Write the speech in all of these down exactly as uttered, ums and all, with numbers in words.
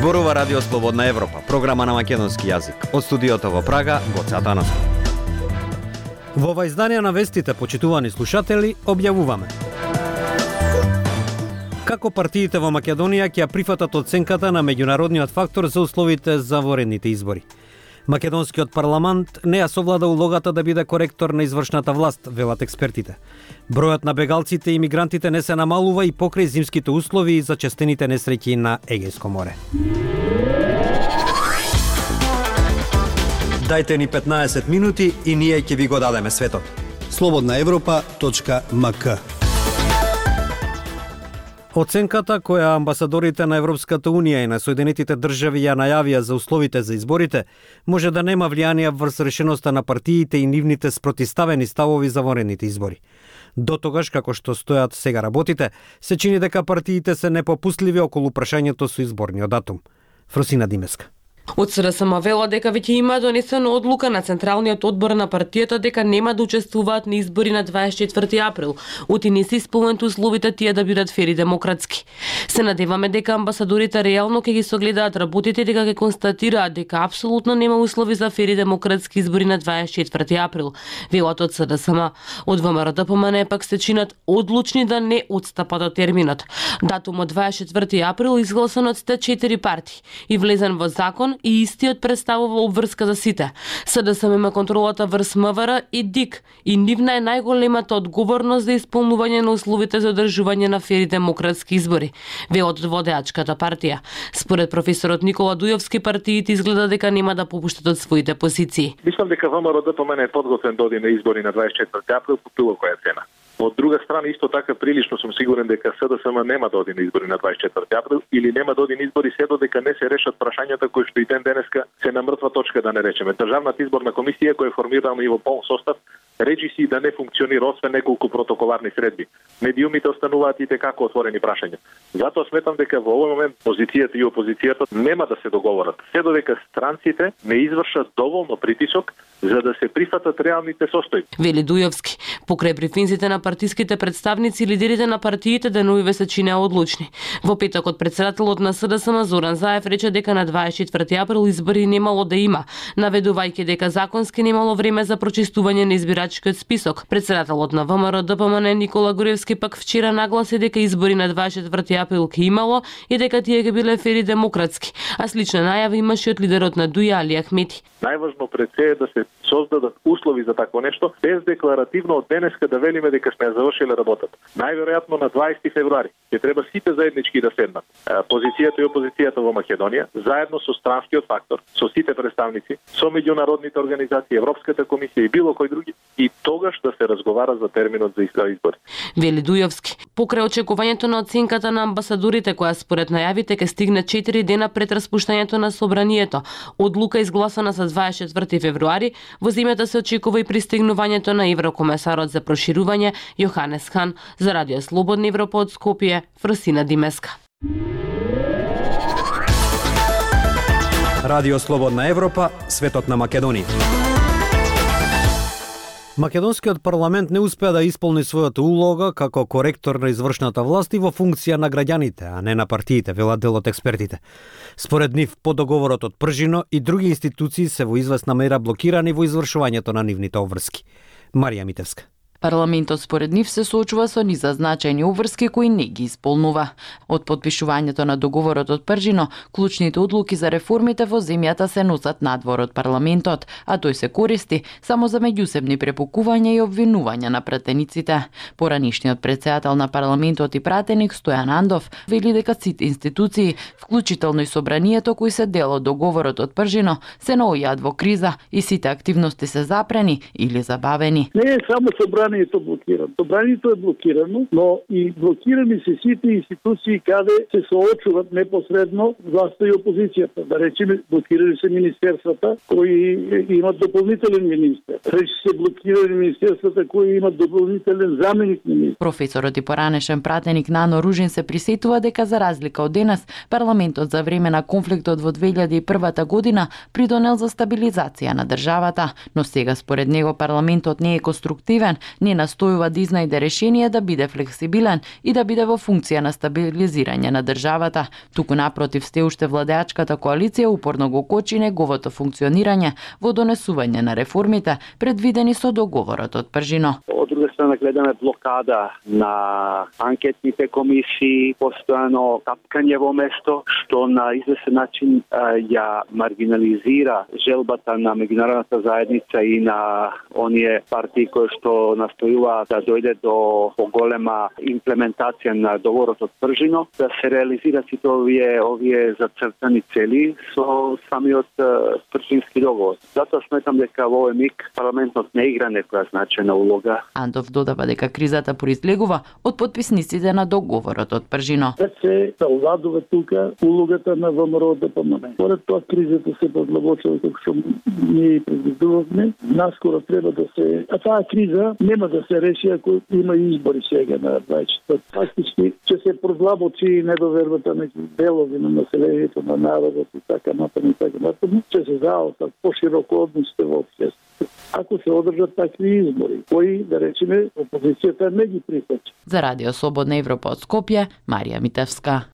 Зборува Радио Слободна Европа, програма на македонски јазик. Од студиото во Прага, Гоце Атанасов. Во ова издание на вестите, почитувани слушатели, објавуваме како партиите во Македонија ќе прифатат оценката на меѓународниот фактор за условите за воредните избори. Македонскиот парламент не ја совлада улогата да биде коректор на извршната власт, велат експертите. Бројот на бегалците и мигрантите не се намалува и покрај зимските услови и зачестените несреќи на Егејско море. Дајте ни петнаесет минути и ние ќе ви го дадеме светот. слободна европа точка ем ка. Оценката која амбасадорите на Европската Унија и на Соединетите држави ја најавија за условите за изборите, може да нема влијание врз решеноста на партиите и нивните спротивставени ставови за воредните избори. До тогаш, како што стојат сега работите, се чини дека партиите се непопустливи околу прашањето со изборниот датум. Фросина Димеска. Од СДСМ вела дека веќе има донесена одлука на Централниот одбор на партијата дека нема да учествуваат на избори на дваесет и четврти април, оти не се исполнети условите тие да бидат фер и демократски. Се надеваме дека амбасадорите реално ќе ги согледаат работите, дека ќе констатираат дека апсолутно нема услови за фер и демократски избори на дваесет и четврти април, велат од СДСМ. Од ВМРО-ДПМН пак се чинат одлучни да не отстапат од терминот. Датумот дваесет и четврти април изгласан од сте четири партии и влезен во закон и истиот представува обврска за сите. СДСМ има контролата врз МВР и ДИК и нивна е најголемата одговорност за исполнување на условите за одржување на фер и демократски избори, велат од водеачката партија. Според професорот Никола Дујовски, партиите изгледа дека нема да попуштат од своите позиции. Мислам дека ВМРО-ДПМН е подготвен да оди на избори на дваесет и четврти април по било која цена. Од друга страна, исто така прилично сум сигурен дека СДСМ нема да оди на избори на дваесет и четврти април или нема да оди на избори се додека не се решат прашањата кои што и ден денеска се на мртва точка, да не речеме. Државната изборна комисија која е формирана и во полн состав речи си да не функционира освен неколку протоколарни средби. Медиумите остануваат и како отворени прашања. Затоа сметам дека во овој момент позицијата и опозицијата нема да се договорат. Се додека странците не извршат доволно притисок за да се прифатат реалните состојби. Вели Дујовски, покрај брифинзите на партиските представници, лидерите на партиите деновиве се чинеа одлучни. Во петокот претседателот на СДСМ Зоран Заев рече дека на дваесет и четврти април избори немало да има, наведувајќи дека законски немало време за прочистување на избирачкиот список. Претседателот на ВМРО-ДПМН Никола Груевски пак вчера нагласи дека избори на дваесет и четврти април ќе имало и дека тие ќе биле фер и демократски, а слична најава имаше од лидерот на Дуја Али Ахмети. Најважно пред се е да се создадат услови за такво нешто, без декларативно од денеска да велиме дека сме завршиле работата. Најверојатно на дваесети февруари ќе треба сите заеднички да седнат. Позицијата и опозицијата во Македонија, заедно со странскиот фактор, со сите представници, со меѓународните организации, Европската комисија и било кој други, и тогаш да се разговара за терминот за избори. Вели Дујовски, покрај очекувањето на оценката на амбасадорите, која според најавите ќе стигне четири дена пред распуштањето на собранието, одлука изгласана за дваесет и четврти февруари, во земјата се очекува и пристигнувањето на еврокомесарот за проширување Јоханес Хан. За Радио Слободна Европа од Скопје, Фросина Димеска. Радио Слободна Европа, светот на Македонија. Македонскиот парламент не успеа да исполни својата улога како коректор на извршната власт и во функција на граѓаните, а не на партиите, велат дел од експертите. Според нив, по договорот од Пржино и други институции се во известна мера блокирани во извршувањето на нивните обврски. Марија Митевска. Парламентот според нив се соочува со низа значајни обврски кои не ги исполнува. Од подпишувањето на договорот од Пржино, клучните одлуки за реформите во земјата се носат надвор од парламентот, а тој се користи само за меѓусебни препукувања и обвинувања на пратениците. Поранишниот претседател на парламентот и пратеник Стојан Андов вели дека сите институции, вклучително и собранието кои се дел од договорот од Пржино, се наоѓаат во криза и сите активности се запрени или забавени. Не е само собранието блокирано. Собранието е блокирано, но и блокирани се сите институции каде се соочуваат непосредно власта и опозицијата. Да речеме, блокирани се министерствата кои имат дополнителен министер. Рече се блокирани министерствата кои имат дополнителен заменик министер. Професорот и поранешен пратеник Нано Ружин се присетува дека за разлика од денес, парламентот за време на конфликтот во две илјади и прва година придонел за стабилизација на државата, но сега според него парламентот не е конструктивен, не настојува да изнајде решение да биде флексибилен и да биде во функција на стабилизирање на државата. Туку напротив, сте уште владеачката коалиција упорно го кочи неговото функционирање во донесување на реформите предвидени со договорот од Пржино. Од друга страна гледаме блокада на анкетните комисии, постојано тапкање во место, што на известен начин ја маргинализира желбата на меѓународната заедница и на оние партии кои што настојуваат да дојде до поголема имплементација на договорот од Пржино, да се реализираат сите овие овие зацртани цели со самиот Пржински договор. Затоа сметам дека во овој миг парламентот не игра некоја значајна улога. Андов додава дека кризата произлегува од потписниците на договорот од Пржино. Се завладува тука улогата на ВМРО Д П М Н. Поред тоа кризата се подлабочува како што ние предвидувавме. Наскоро треба да се, а таа криза нема да се реши ако има избори сега на дваесет и четврти. Фактички ќе се продлабочи недовербата меѓу делови на населението, на народот и така напред и така напред. Ќе се заостат пошироко односите во општеството. Ако се одржат такви избори, кои, да речеме, опозицијата не ги прифаќа. За Радио Слободна Европа од Скопје, Марија Митевска.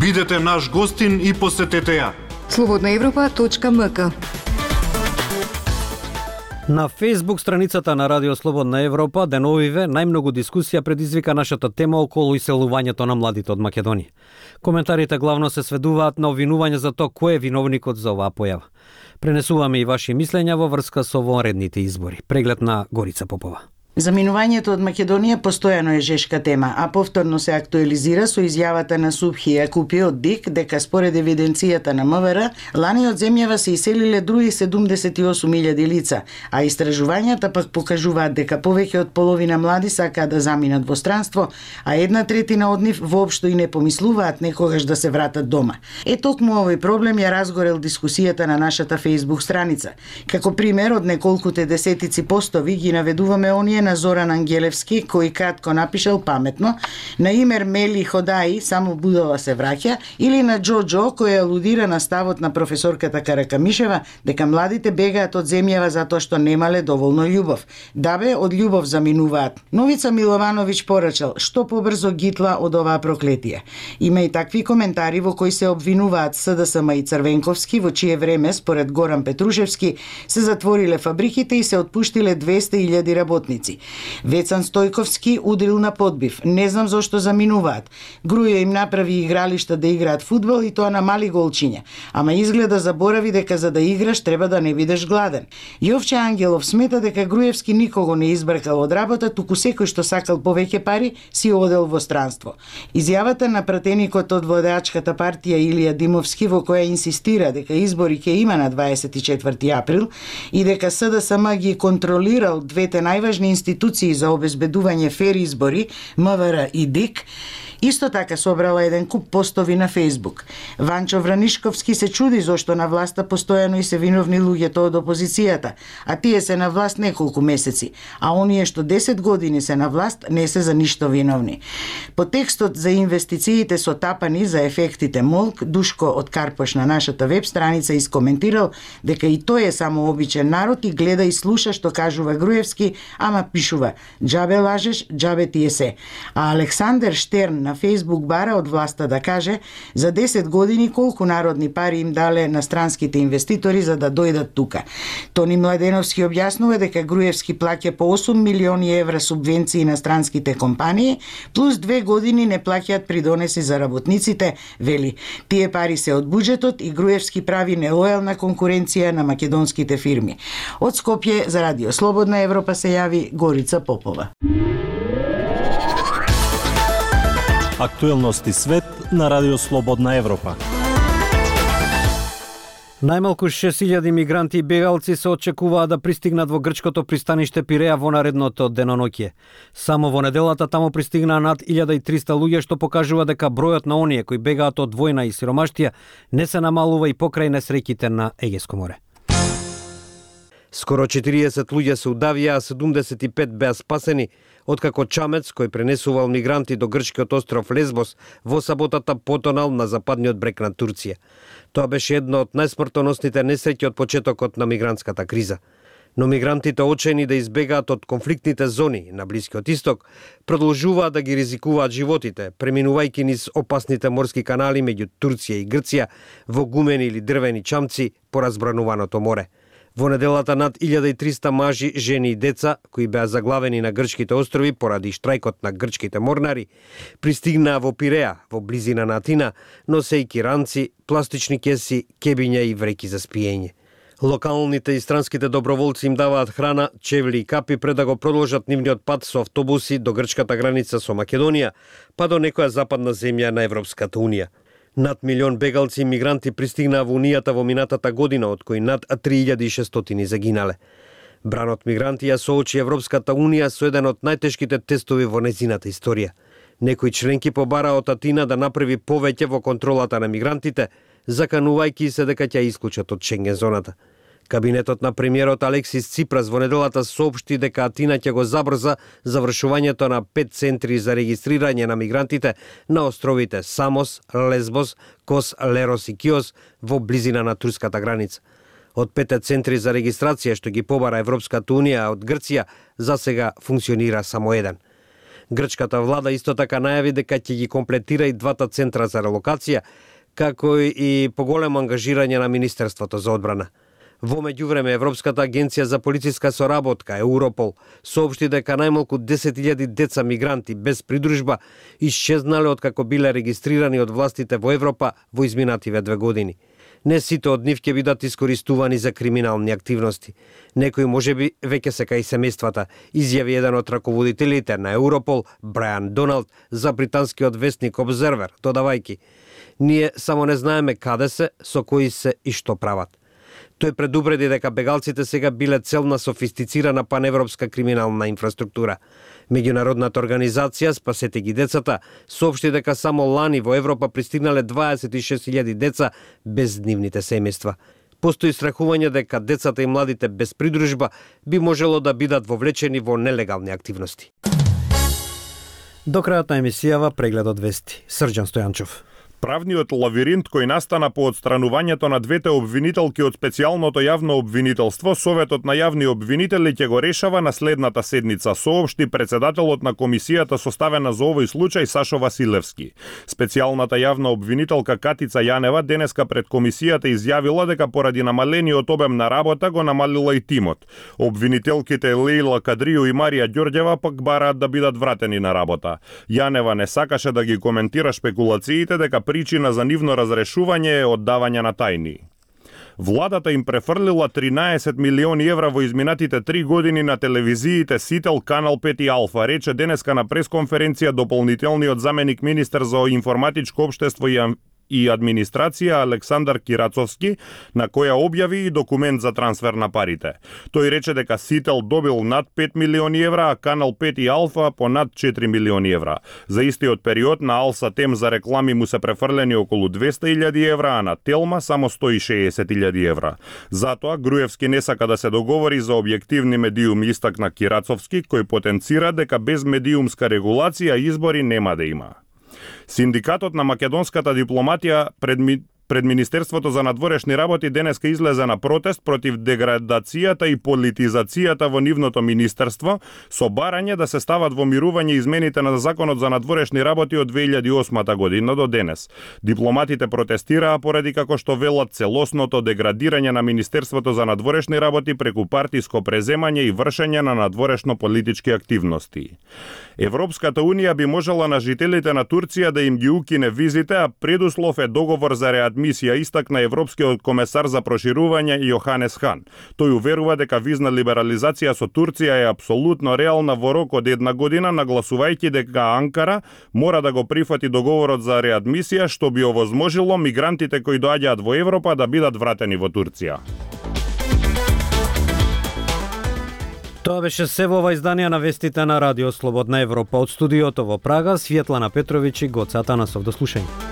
Бидете наш гостин и посетете ја. слободна европа точка м к. На Facebook страницата на Радио Слободна Европа деновиве најмногу дискусија предизвика нашата тема околу иселувањето на младите од Македонија. Коментарите главно се сведуваат на обвинување за тоа кој е виновникот за оваа појава. Пренесуваме и ваши мислења во врска со вонредните избори. Преглед на Горица Попова. Заминувањето од Македонија постојано е жешка тема, а повторно се актуализира со изјавата на Субхи Јакупи од ДИК дека според евиденцијата на М В Р, лани од земјава се иселиле други седумдесет и осум илјади лица, а истражувањата пак покажуваат дека повеќе од половина млади сакаат да заминат во странство, а една третина од нив воопшто и не помислуваат некогаш да се вратат дома. Е токму овој проблем ја разгорел дискусијата на нашата Facebook страница. Како пример од неколкуте десетици постови ги наведуваме оние на Зоран Ангелевски, кој кратко напишал паметно, на имер Мели Ходаи, само будала се враќа, или на Джоджо, кој алудира на ставот на професорката Каракамишева дека младите бегаат од земјава затоа што немале доволно љубов. Дабе, од љубов заминуваат. Новица Миловановиќ порачал, што побрзо гитла од оваа проклетие. Има и такви коментари во кои се обвинуваат С Д С М и Црвенковски, во чие време, според Горан Петрушевски, се затвориле фабриките и се отпуштиле двесте илјади работници. Вецан Стојковски удрил на подбив. Не знам зошто заминуваат. Грујо им направи игралишта да играат фудбал и тоа на мали голчиња. Ама изгледа заборави дека за да играш треба да не бидеш гладен. Јовче Ангелов смета дека Груевски никого не избркал од работа, туку секој што сакал повеќе пари си одел во странство. Изјавата на пратеникот од владеачката партија Илија Димовски, во која инсистира дека избори ќе има на дваесет и четврти април и дека С Д С М ги контролирал двете најважни институции за обезбедување фер избори, М В Р и ДИК, исто така собрала еден куп постови на Facebook. Ванчо Вранишковски се чуди зошто на власта постојано и се виновни луѓето од опозицијата, а тие се на власт неколку месеци, а оние што десет години се на власт не се за ништо виновни. По текстот за инвестициите со тапани за ефектите Молк, Душко од Карпош на нашата веб страница искоментирал дека и тој е само обичен народ и гледа и слуша што кажува Груевски, ама пишува "Џабе лажеш, џабе ти е се". А Александер Штерн на Facebook бара од власта да каже за десет години колку народни пари им дале на странските инвеститори за да дојдат тука. Тони Младеновски објаснува дека Груевски плаќа по осум милиони евра субвенции на странските компании, плюс две години не плаќаат придонеси за работниците, вели. Тие пари се од буџетот и Груевски прави нелојална конкуренција на македонските фирми. Од Скопје за Радио Слободна Европа се јави Горица Попова. Актуелности свет на Радио Слободна Европа. Најмалку шест илјади мигранти и бегалци се очекуваат да пристигнат во грчкото пристаниште Пиреја во наредното деноноќе. Само во неделата таму пристигнаа над илјада и триста луѓе, што покажува дека бројот на оние кои бегаат од војна и сиромаштија не се намалува и покрај несреќите на Егеско море. Скоро четириесет луѓе се удавија, а седумдесет и пет беа спасени, откако чамец кој пренесувал мигранти до грчкиот остров Лесбос во саботата потонал на западниот брег на Турција. Тоа беше едно од најсмртоносните несреќи од почетокот на мигрантската криза. Но мигрантите, очени да избегаат од конфликтните зони на Блискиот Исток, продолжуваат да ги ризикуваат животите, преминувајќи низ опасните морски канали меѓу Турција и Грција во гумени или дрвени чамци по разбрануваното море. Во неделата над илјада и триста мажи, жени и деца, кои беа заглавени на грчките острови поради штрајкот на грчките морнари, пристигнаа во Пиреа, во близина на Атина, носејќи ранци, пластични кеси, кебиња и вреки за спиење. Локалните и странските доброволци им даваат храна, чевли и капи пред да го продолжат нивниот пат со автобуси до грчката граница со Македонија, па до некоја западна земја на Европската Унија. Над милион бегалци и мигранти пристигнаа во Унијата во минатата година, од кои над три илјади и шестстотини загинале. Бранот мигранти ја соочи Европската Унија со еден од најтешките тестови во незината историја. Некои членки побараа од Атина да направи повеќе во контролата на мигрантите, заканувајќи се дека ќе исклучат од Шенген зоната. Кабинетот на премиерот Алексис Ципрас во неделата соопшти дека Атина ќе го забрза завршувањето на пет центри за регистрирање на мигрантите на островите Самос, Лесбос, Кос, Лерос и Киос во близина на турската граница. Од пете центри за регистрација што ги побара Европската Унија од Грција, засега функционира само еден. Грчката влада исто така најави дека ќе ги комплетира и двата центра за релокација, како и поголемо ангажирање на Министерството за одбрана. Во меѓувреме, Европската агенција за полициска соработка, Европол, соопшти дека најмалку десет илјади деца мигранти без придружба исчезнале откако биле регистрирани од властите во Европа во изминативе две години. Не сите од нив ќе бидат искористувани за криминални активности. Некои можеби веќе се кај семејствата, изјави еден од раководителите на Европол, Брайан Доналд, за британскиот вестник Observer, додавајќи: "Ние само не знаеме каде се, со кои се и што прават." Тој предупреди дека бегалците сега биле цел на софистицирана паневропска криминална инфраструктура. Меѓународната организација Спасете ги децата соопшти дека само лани во Европа пристигнале дваесет и шест илјади деца без нивните семејства. Постои страхување дека децата и младите без придружба би можело да бидат вовлечени во нелегални активности. До крајот на емисијава преглед од вести. Срđan Стојанчов. Правниот лавиринт кој настана по отстранувањето на двете обвинителки од специјалното јавно обвинителство, Советот на јавни обвинители ќе го решава на следната седница, соопшти председателот на комисијата составена за овој случај Сашо Василевски. Специјалната јавна обвинителка Катица Јанева денеска пред комисијата изјавила дека поради намалениот обем на работа го намалила и тимот. Обвинителките Лејла Кадрију и Марија Ѓорѓева пак бараат да бидат вратени на работа. Јанева не сакаше да ги коментира шпекулациите дека причина за нивно разрешување е оддавање на тајни. Владата им префрлила тринаесет милиони евра во изминатите три години на телевизиите Сител, Канал пет и Алфа, рече денеска на пресконференција дополнителниот заменик министер за информатичко општество и и администрација Александар Кирацовски, на која објави и документ за трансфер на парите. Тој рече дека Сител добил над пет милиони евра, а Канал пет и Алфа по над четири милиони евра. За истиот период на Алса Тем за реклами му се префрлени околу двесте илјади евра, а на Телма само сто и шеесет илјади евра. Затоа Груевски не сака да се договори за објективни медиуми, истакна Кирацовски, кој потенцира дека без медиумска регулација избори нема да има. Синдикатот на македонската дипломатија пред, пред Министерството за надворешни работи денеска излезе на протест против деградацијата и политизацијата во нивното министерство, со барање да се стават во мирување измените на Законот за надворешни работи од две илјади и осма година до денес. Дипломатите протестираа поради, како што велат, целосното деградирање на Министерството за надворешни работи преку партиско преземање и вршење на надворешно политички активности. Европската Унија би можела на жителите на Турција да им ги укине визите, а предуслов е договор за реадмисија, истакна европскиот комесар за проширување Јоханес Хан. Тој уверува дека визна либерализација со Турција е апсолутно реална во рок од една година, нагласувајќи дека Анкара мора да го прифати договорот за реадмисија, што би овозможило мигрантите кои доаѓаат во Европа да бидат вратени во Турција. Тоа беше се во ова издание на вестите на Радио Слободна Европа. Од студиото во Прага, Светлана Петровиќ и Гоце Атанасов. До слушање.